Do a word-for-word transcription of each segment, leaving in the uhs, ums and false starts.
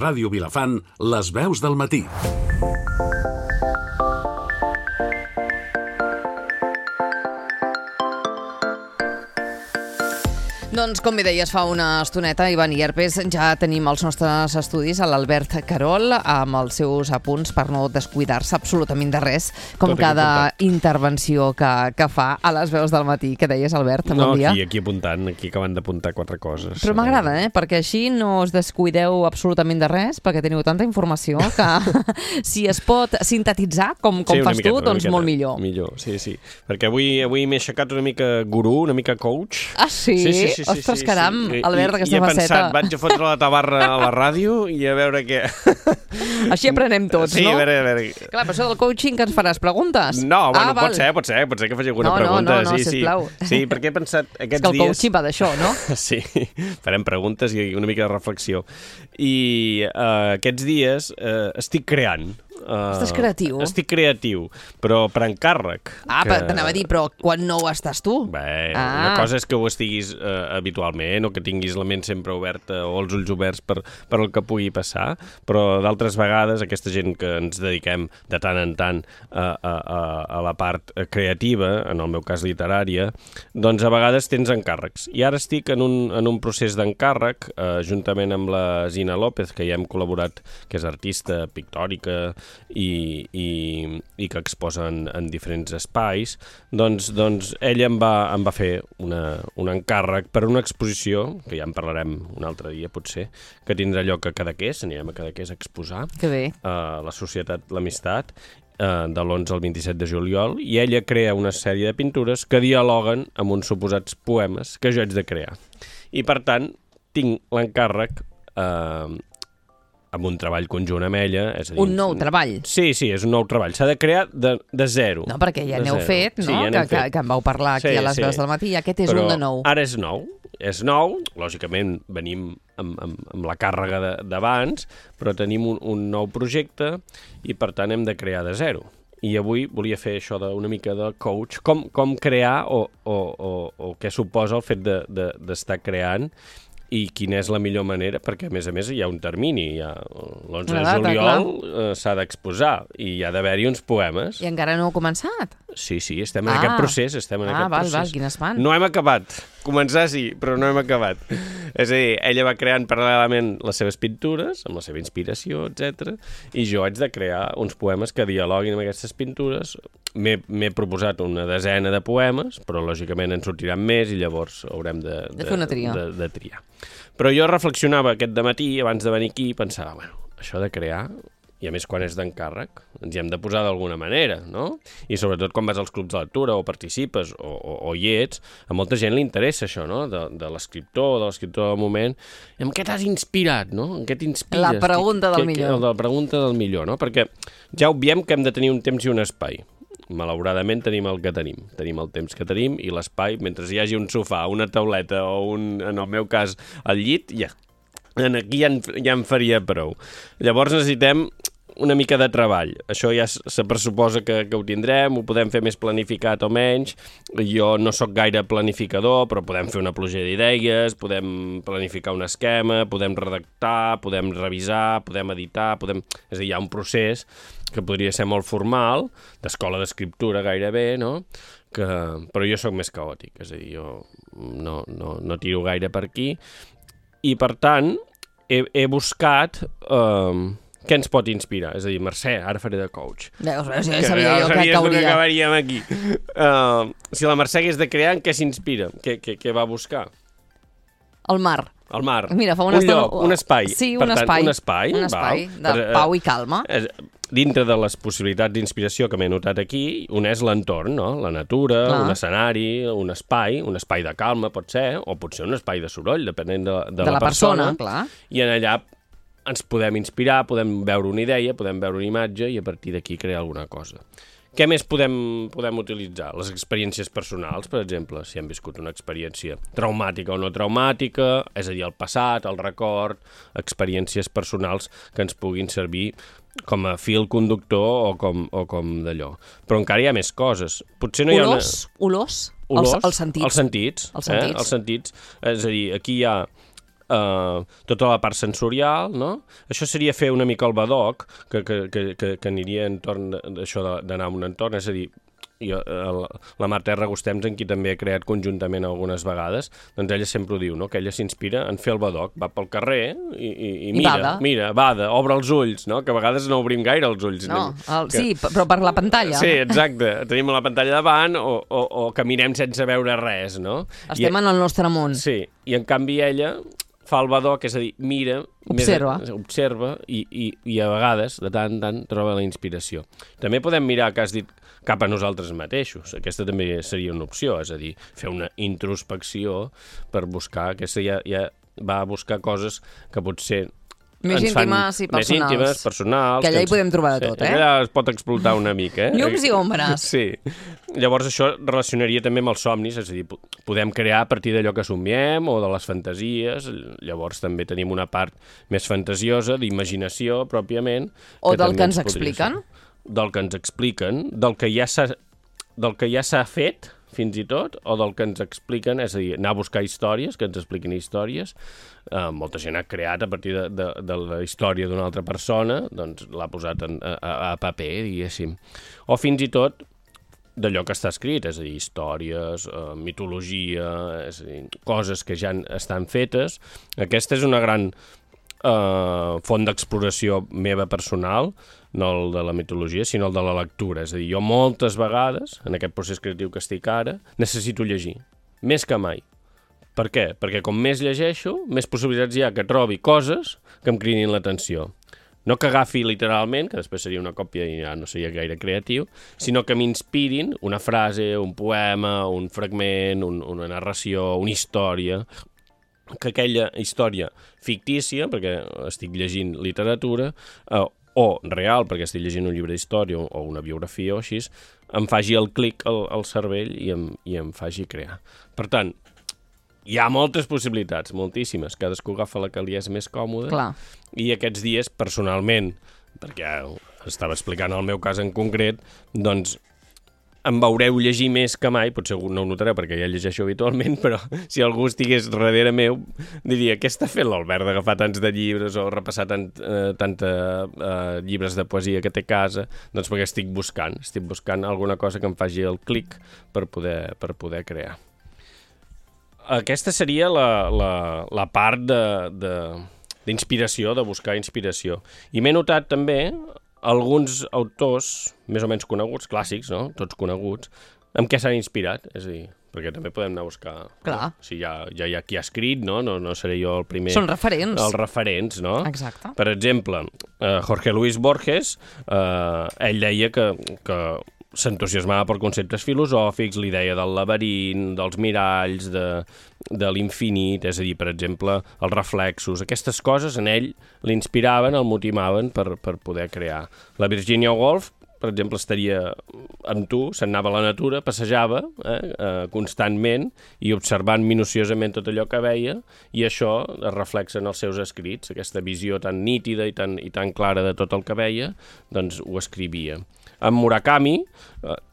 Ràdio Vilafant, les veus del matí. Doncs, com bé deies fa una estoneta, Ivan Ierpes, ja tenim als nostres estudis a l'Albert Carol amb els seus apunts per no descuidar-se absolutament de res, com Tot cada intervenció que, que fa a les veus del matí. Què deies, Albert? Bon no, dia. aquí, aquí apuntant, aquí acabant d'apuntar quatre coses. Però m'agrada, eh? Perquè així no us descuideu absolutament de res, perquè teniu tanta informació que si es pot sintetitzar, com, com sí, fas miqueta, tu, doncs miqueta, molt millor. Millor, sí, sí. Perquè avui, avui m'he aixecat una mica gurú, una mica coach. Ah, sí? Sí, sí, sí. Ostres, sí, caram, sí. Albert, aquesta I, i he faceta. pensat, vaig a fotre la tabarra a la ràdio i a veure què... Així aprenem tots, sí, no? Sí, a veure, a veure... Clar, però això del coaching que ens faràs preguntes. No, bueno, ah, pot ser, pot ser, pot ser que faci alguna no, pregunta. No, no, no, sí, sisplau. Sí, sí, perquè he pensat aquests És que el dies... coaching va d'això, no? Sí, farem preguntes i una mica de reflexió. I uh, aquests dies uh, estic creant. Uh, Estàs creatiu? Estic creatiu, però per encàrrec. Ah, que... t'anava a dir, però quan no ho estàs tu? Bé, ah. una cosa és que ho estiguis uh, habitualment o que tinguis la ment sempre oberta o els ulls oberts per, per el que pugui passar, però d'altres vegades aquesta gent que ens dediquem de tant en tant a, a, a, a la part creativa, en el meu cas literària, doncs a vegades tens encàrrecs. I ara estic en un, en un procés d'encàrrec, uh, juntament amb la Zina López, que ja hem col·laborat, que és artista pictòrica, I, i, i que exposa en, en diferents espais, doncs, doncs ella em va, em va fer una, un encàrrec per una exposició, que ja en parlarem un altre dia potser, que tindrà lloc a Cadaqués, anirem a Cadaqués a exposar, que bé. a la Societat L'Amistat, eh, de l'onze al vint-i-set de juliol, i ella crea una sèrie de pintures que dialoguen amb uns suposats poemes que jo haig de crear. I per tant, tinc l'encàrrec eh, amb un treball conjunt amb ella. És a dir, un nou treball. Sí, sí, és un nou treball. S'ha de crear de, de zero. No, perquè ja n'heu fet, no? Sí, ja que, fet. Que, que en vau parlar aquí sí, a les sí. veus del matí, i aquest és Però un de nou. Ara és nou. És nou, lògicament venim amb, amb, amb la càrrega d'abans, però tenim un, un nou projecte i per tant hem de crear de zero. I avui volia fer això d'una mica de coach, com, com crear o, o, o, o què suposa el fet de, de, d'estar creant i quina és la millor manera, perquè a més a més hi ha un termini, ja l'onze de juliol eh, s'ha d'exposar i hi ha d'haver-hi uns poemes. I encara no heu començat? Sí, sí, estem en ah. aquest procés, estem en ah, aquest val, procés. val, quin espant. No hem acabat. Començar sí, però no hem acabat. És a dir, ella va creant paral·lelament les seves pintures, amb la seva inspiració, etcètera, i jo haig de crear uns poemes que dialoguin amb aquestes pintures. M'he proposat una desena de poemes, però lògicament en sortiran més i llavors haurem de, de, de fer una tria. De, de triar. Però jo reflexionava aquest dematí, abans de venir aquí, i pensava, bueno, això de crear, i a més quan és d'encàrrec, ens hi hem de posar d'alguna manera, no? I sobretot quan vas als clubs de lectura o participes o, o, o hi ets, a molta gent li interessa això, no? De, de l'escriptor, de l'escriptor del moment. I en què t'has inspirat, no? En què t'inspires? La pregunta del que, millor. Que, la pregunta del millor, no? Perquè ja obviem que hem de tenir un temps i un espai. Malauradament tenim el que tenim. Tenim el temps que tenim i l'espai, mentre hi hagi un sofà, una tauleta o, un, en el meu cas, el llit, ja. Aquí ja en, ja en faria prou. Llavors necessitem una mica de treball. Això ja se pressuposa que, que ho tindrem, ho podem fer més planificat o menys. Jo no sóc gaire planificador, però podem fer una pluja d'idees, podem planificar un esquema, podem redactar, podem revisar, podem editar, podem... És a dir, hi ha un procés que podria ser molt formal, d'escola d'escriptura gairebé, no? Que... Però jo sóc més caòtic, és a dir, jo no, no, no tiro gaire per aquí. I, per tant, he, he buscat... Eh, què ens pot inspirar? És a dir, Mercè, ara faré de coach. Veus, veus, ja sabia jo que cauria. Que acabaríem aquí. Uh, si la Mercè hagués de crear, en què s'inspira? Què, què, què va buscar? El mar. El mar. Mira, fa una un estona... lloc, un espai. Sí, per un tant, espai. Un espai, un espai val. de per, pau i calma. Eh, dintre de les possibilitats d'inspiració que m'he notat aquí, un és l'entorn, no? La natura, Clar. un escenari, un espai, un espai de calma pot ser, o pot ser un espai de soroll, depenent de, de, de la, la persona. persona. Clar. I en allà ens podem inspirar, podem veure una idea, podem veure una imatge i a partir d'aquí crear alguna cosa. Què més podem, podem utilitzar? Les experiències personals, per exemple, si hem viscut una experiència traumàtica o no traumàtica, és a dir, el passat, el record, experiències personals que ens puguin servir com a fil conductor o com, o com d'allò. Però encara hi ha més coses. Potser no olors, hi ha una... olors, olors, els, els sentits. Els sentits, els sentits. Eh? Els sentits. És a dir, aquí hi ha Uh, tota la part sensorial, no? Això seria fer una mica el badoc, que, que, que, que, que aniria entorn d'això d'anar a un entorn, és a dir, jo, el, la Marta Ragustem, en qui també he creat conjuntament algunes vegades, doncs ella sempre ho diu, no? Que ella s'inspira en fer el badoc, va pel carrer i, i, i mira, bada. mira, bada, obre els ulls, no? Que a vegades no obrim gaire els ulls. No, el, que... sí, però per la pantalla. Sí, exacte, tenim la pantalla davant o, o, o caminem sense veure res, no? Estem I, en el nostre món. Sí, i en canvi ella fa el badoc, és a dir, mira, observa, més, observa i, i, i a vegades, de tant en tant, troba la inspiració. També podem mirar, que has dit, cap a nosaltres mateixos. Aquesta també seria una opció, és a dir, fer una introspecció per buscar, aquesta ja, ja va a buscar coses que potser més íntimes i personals. Més íntimes, personals. Que allà hi ens, podem trobar de tot, sí, eh? Allà es pot explotar una mica, eh? Llums i ombres. Sí. Llavors això relacionaria també amb els somnis, és a dir, podem crear a partir d'allò que somiem o de les fantasies, llavors també tenim una part més fantasiosa, d'imaginació, pròpiament. O del que ens expliquen. Del que ens expliquen, del que ja s'ha del que ja s'ha fet, fins i tot, o del que ens expliquen, és a dir, anar a buscar històries, que ens expliquin històries. Uh, molta gent ha creat a partir de, de, de la història d'una altra persona, doncs l'ha posat en, a, a paper, diguéssim. O fins i tot d'allò que està escrit, és a dir, històries, uh, mitologia, és a dir, coses que ja estan fetes. Aquesta és una gran uh, font d'exploració meva personal, no el de la mitologia, sinó el de la lectura. És a dir, jo moltes vegades, en aquest procés creatiu que estic ara, necessito llegir, més que mai. Per què? Perquè com més llegeixo, més possibilitats hi ha que trobi coses que em cridin l'atenció. No que agafi literalment, que després seria una còpia i ja no seria gaire creatiu, sinó que m'inspirin una frase, un poema, un fragment, un, una narració, una història, que aquella història fictícia, perquè estic llegint literatura, eh, o real, perquè estic llegint un llibre d'història o una biografia o així, em faci el clic al, al cervell i em, i em faci crear. Per tant, hi ha moltes possibilitats, moltíssimes. Cadascú agafa la que li és més còmoda. Clar. I aquests dies, personalment, perquè estava explicant el meu cas en concret, doncs em veureu llegir més que mai, potser no ho notareu perquè ja llegeixo habitualment, però si algú estigués darrere meu, diria, què està fent l'Albert d'agafar tants de llibres o repassar tant, eh, tanta eh, llibres de poesia que té a casa? Doncs perquè estic buscant, estic buscant alguna cosa que em faci el clic per poder, per poder crear. Aquesta seria la, la, la part de, de, d'inspiració, de buscar inspiració. I m'he notat també alguns autors més o menys coneguts, clàssics, no? Tots coneguts, amb què s'han inspirat, és a dir, perquè també podem anar a buscar... Clar. No? Si ja, ja hi ha qui ha escrit, no? No, no seré jo el primer... Són referents. Els referents, no? Exacte. Per exemple, uh, Jorge Luis Borges, uh, ell deia que, que s'entusiasmava per conceptes filosòfics, l'idea del laberint, dels miralls, de, de l'infinit, és a dir, per exemple, els reflexos. Aquestes coses en ell l'inspiraven, el motivaven per, per poder crear. La Virginia Woolf, per exemple, estaria amb tu, se'n anava a la natura, passejava eh, eh, constantment i observant minuciosament tot allò que veia, i això es reflexa en els seus escrits, aquesta visió tan nítida i tan, i tan clara de tot el que veia, doncs ho escrivia. En Murakami,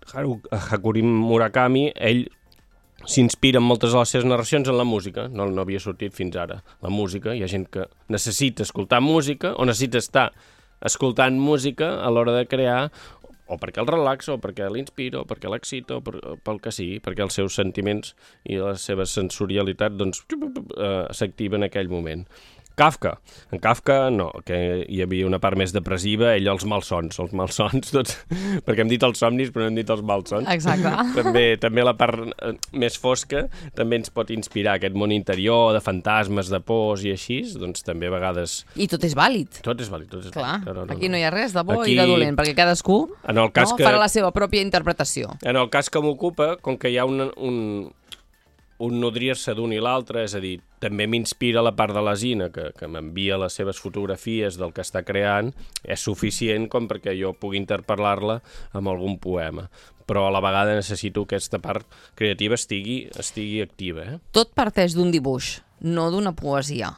Haruki Murakami, ell s'inspira en moltes de les seves narracions en la música, no, no havia sortit fins ara la música. Hi ha gent que necessita escoltar música o necessita estar escoltant música a l'hora de crear, o perquè el relaxa, o perquè l'inspira, o perquè l'excita, o per, pel que sigui, perquè els seus sentiments i la seva sensorialitat doncs, eh, s'activa en aquell moment. Kafka. En Kafka no, que hi havia una part més depressiva, ell els malsons, els malsons tots, perquè hem dit els somnis però no hem dit els malsons. Exacte. També, també la part més fosca també ens pot inspirar, aquest món interior de fantasmes, de pors i així, doncs també a vegades... I tot és vàlid. Tot és vàlid, tot és Clar, vàlid. No, no, aquí no hi ha res de bo aquí, i de dolent, perquè cadascú en el cas no, que, farà la seva pròpia interpretació. En el cas que m'ocupa, com que hi ha un... un un nodrir-se d'un i l'altre, és a dir, també m'inspira la part de la Zina, que, que m'envia les seves fotografies del que està creant, és suficient com perquè jo pugui interpel·lar-la amb algun poema. Però a la vegada necessito que aquesta part creativa estigui, estigui activa. Eh? Tot parteix d'un dibuix, no d'una poesia.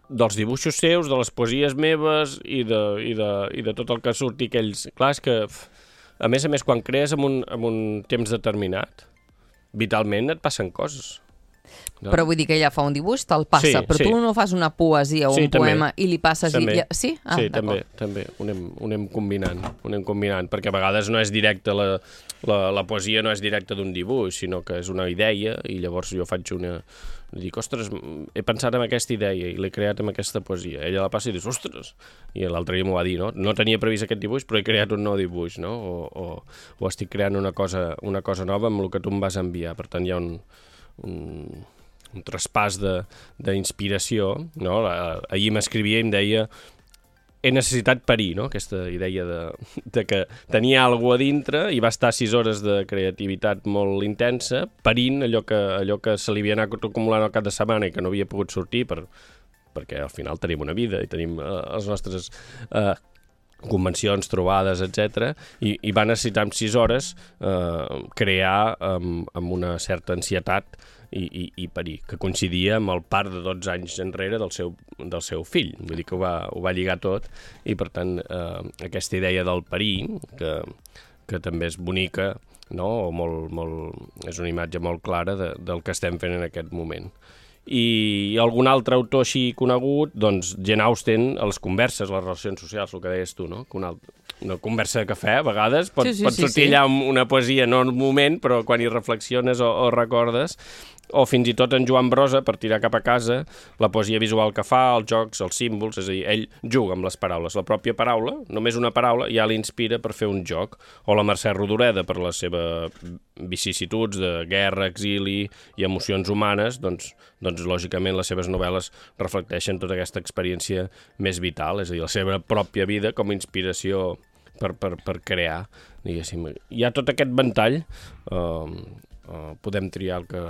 Dels dibuixos seus, de les poesies meves i de, i de, i de tot el que surti aquells... Clar, és que, a més a més, quan crees en un, en un temps determinat, vitalment et passen coses. No? Però vull dir que ella fa un dibuix, te'l passa, Sí, però sí. tu no fas una poesia o Sí, un també. poema i li passes També. i... Sí? Ah, sí, d'acord. també, també. Ho anem, ho anem combinant, ho anem combinant, perquè a vegades no és directe, la, la, la poesia no és directa d'un dibuix, sinó que és una idea, i llavors jo faig una... Dic, ostres, he pensat en aquesta idea i l'he creat amb aquesta poesia. Ella la passa i dius, ostres! I l'altre dia m'ho va dir, no? No tenia previst aquest dibuix, però he creat un nou dibuix, no? O, o, o estic creant una cosa, una cosa nova amb el que tu em vas enviar. Per tant, hi ha un... un un traspàs d'inspiració, no? Ahir m'escrivia i em deia he necessitat parir, no? Aquesta idea de, de que tenia alguna a dintre i va estar sis hores de creativitat molt intensa, parint allò que, allò que se li havia anat acumulant al cap de setmana i que no havia pogut sortir per, perquè al final tenim una vida i tenim eh, les nostres eh, convencions, trobades, etcètera, i, i va necessitar en sis hores eh, crear amb, amb una certa ansietat i, i, i parir, que coincidia amb el part de dotze anys enrere del seu, del seu fill. Vull dir que ho va, ho va lligar tot i, per tant, eh, aquesta idea del parir, que, que també és bonica, no? O molt, molt, és una imatge molt clara de, del que estem fent en aquest moment. I algun altre autor així conegut, doncs Jane Austen, a les converses, les relacions socials, el que deies tu, no? Que una, una conversa de cafè, a vegades, pot, sí, sí, pot sí, sortir sí. allà una poesia, no en un moment, però quan hi reflexiones o, o recordes, o fins i tot en Joan Brossa, per tirar cap a casa, la poesia visual que fa, els jocs, els símbols, és a dir, ell juga amb les paraules. La pròpia paraula, només una paraula, ja l'inspira per fer un joc. O la Mercè Rodoreda, per les seves vicissituds de guerra, exili i emocions humanes, doncs, doncs lògicament les seves novel·les reflecteixen tota aquesta experiència més vital, és a dir, la seva pròpia vida com a inspiració per, per, per crear, diguéssim. Hi ha tot aquest ventall, eh, Uh, podem triar el que,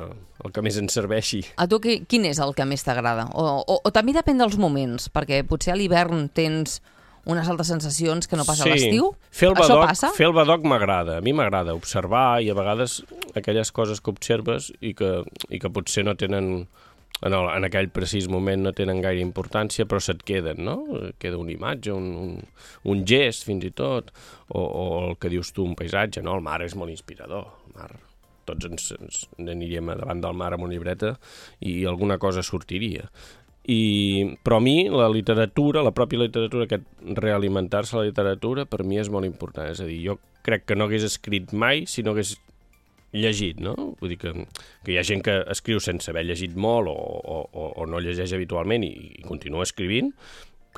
el que més ens serveixi. A tu qui, quin és el que més t'agrada? O, o, o també depèn dels moments, perquè potser a l'hivern tens unes altres sensacions que no passa sí. a l'estiu. Fer el Això badoc, passa? Fer el badoc m'agrada. A mi m'agrada observar i a vegades aquelles coses que observes i que, i que potser no tenen, en, el, en aquell precís moment no tenen gaire importància, però se't queden, no? Queda una imatge, un, un, un gest fins i tot, o, o el que dius tu, un paisatge, no? El mar és molt inspirador, el mar... tots ens, ens aniríem davant del mar amb una llibreta i alguna cosa sortiria. I, però a mi la literatura, la pròpia literatura, aquest realimentar-se a la literatura, per mi és molt important. És a dir, jo crec que no hagués escrit mai si no hagués llegit, no? Vull dir que, que hi ha gent que escriu sense haver llegit molt o, o, o no llegeix habitualment i, i continua escrivint,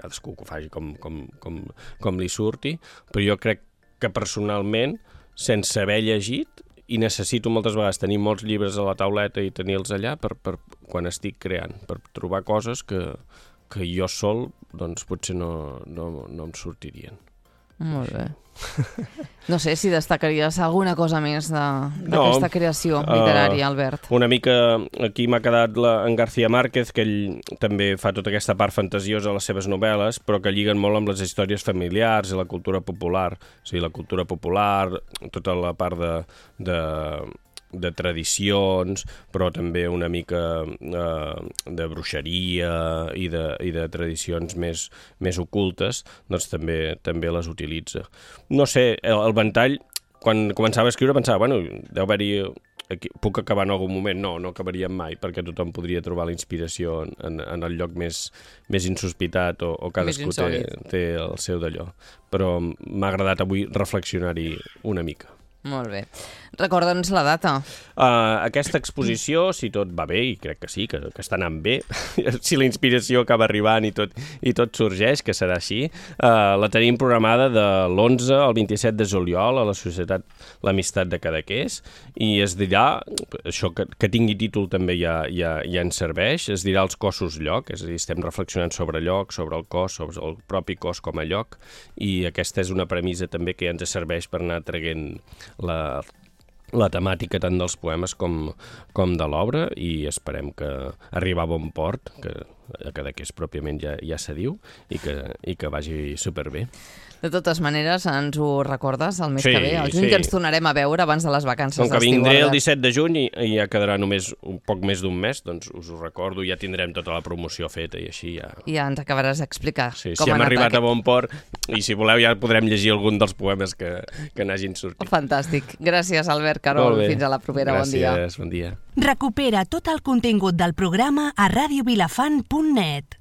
cadascú que ho faci com, com, com, com li surti, però jo crec que personalment, sense haver llegit, i necessito moltes vegades tenir molts llibres a la tauleta i tenir-los allà per, per quan estic creant, per trobar coses que, que jo sol doncs, potser no, no, no em sortirien. Molt bé. No sé si destacaries alguna cosa més d'aquesta no, creació literària, uh, Albert. Una mica, aquí m'ha quedat la, en García Márquez, que ell també fa tota aquesta part fantasiosa a les seves novel·les, però que lliguen molt amb les històries familiars i la cultura popular. O sigui, la cultura popular, tota la part de... de de tradicions, però també una mica eh, de bruixeria i de, i de tradicions més, més ocultes, doncs també, també les utilitza. No sé, el, el ventall, quan començava a escriure pensava, bueno, deu haver-hi... Aquí, puc acabar en algun moment? No, no acabaríem mai, perquè tothom podria trobar la inspiració en, en, en el lloc més, més insospitat o, o cadascú té, té el seu d'allò. Però m'ha agradat avui reflexionar-hi una mica. Molt bé. Recorda'ns la data. Uh, aquesta exposició, si tot va bé, i crec que sí, que, que està anant bé, si la inspiració acaba arribant i tot, i tot sorgeix, que serà així, uh, la tenim programada de l'onze al vint-i-set de juliol a la Societat L'Amistat de Cadaqués, i es dirà, això que, que tingui títol també ja, ja, ja ens serveix, es dirà els cossos lloc, és a dir, estem reflexionant sobre lloc, sobre el cos, sobre el propi cos com a lloc, i aquesta és una premissa també que ja ens serveix per anar traient la la temàtica tant dels poemes com, com de l'obra, i esperem que arribar a bon port, que a Cadaqués pròpiament ja, ja se diu, i que, i que vagi superbé. De totes maneres, ens ho recordes el mes sí, que ve, el juny, sí. que ens tornarem a veure abans de les vacances d'estiu. Com que d'estiu. vindré el disset de juny i, i ja quedarà només un poc més d'un mes, doncs us ho recordo, ja tindrem tota la promoció feta i així ja... I ja ens acabaràs d'explicar sí, com si ha hem anat arribat aquest... a bon port, i si voleu ja podrem llegir algun dels poemes que, que n'hagin sortit. Fantàstic. Gràcies, Albert Carol. Fins a la propera. Gràcies, bon dia. bon dia. Recupera tot el contingut del programa a radio vilafant punt net.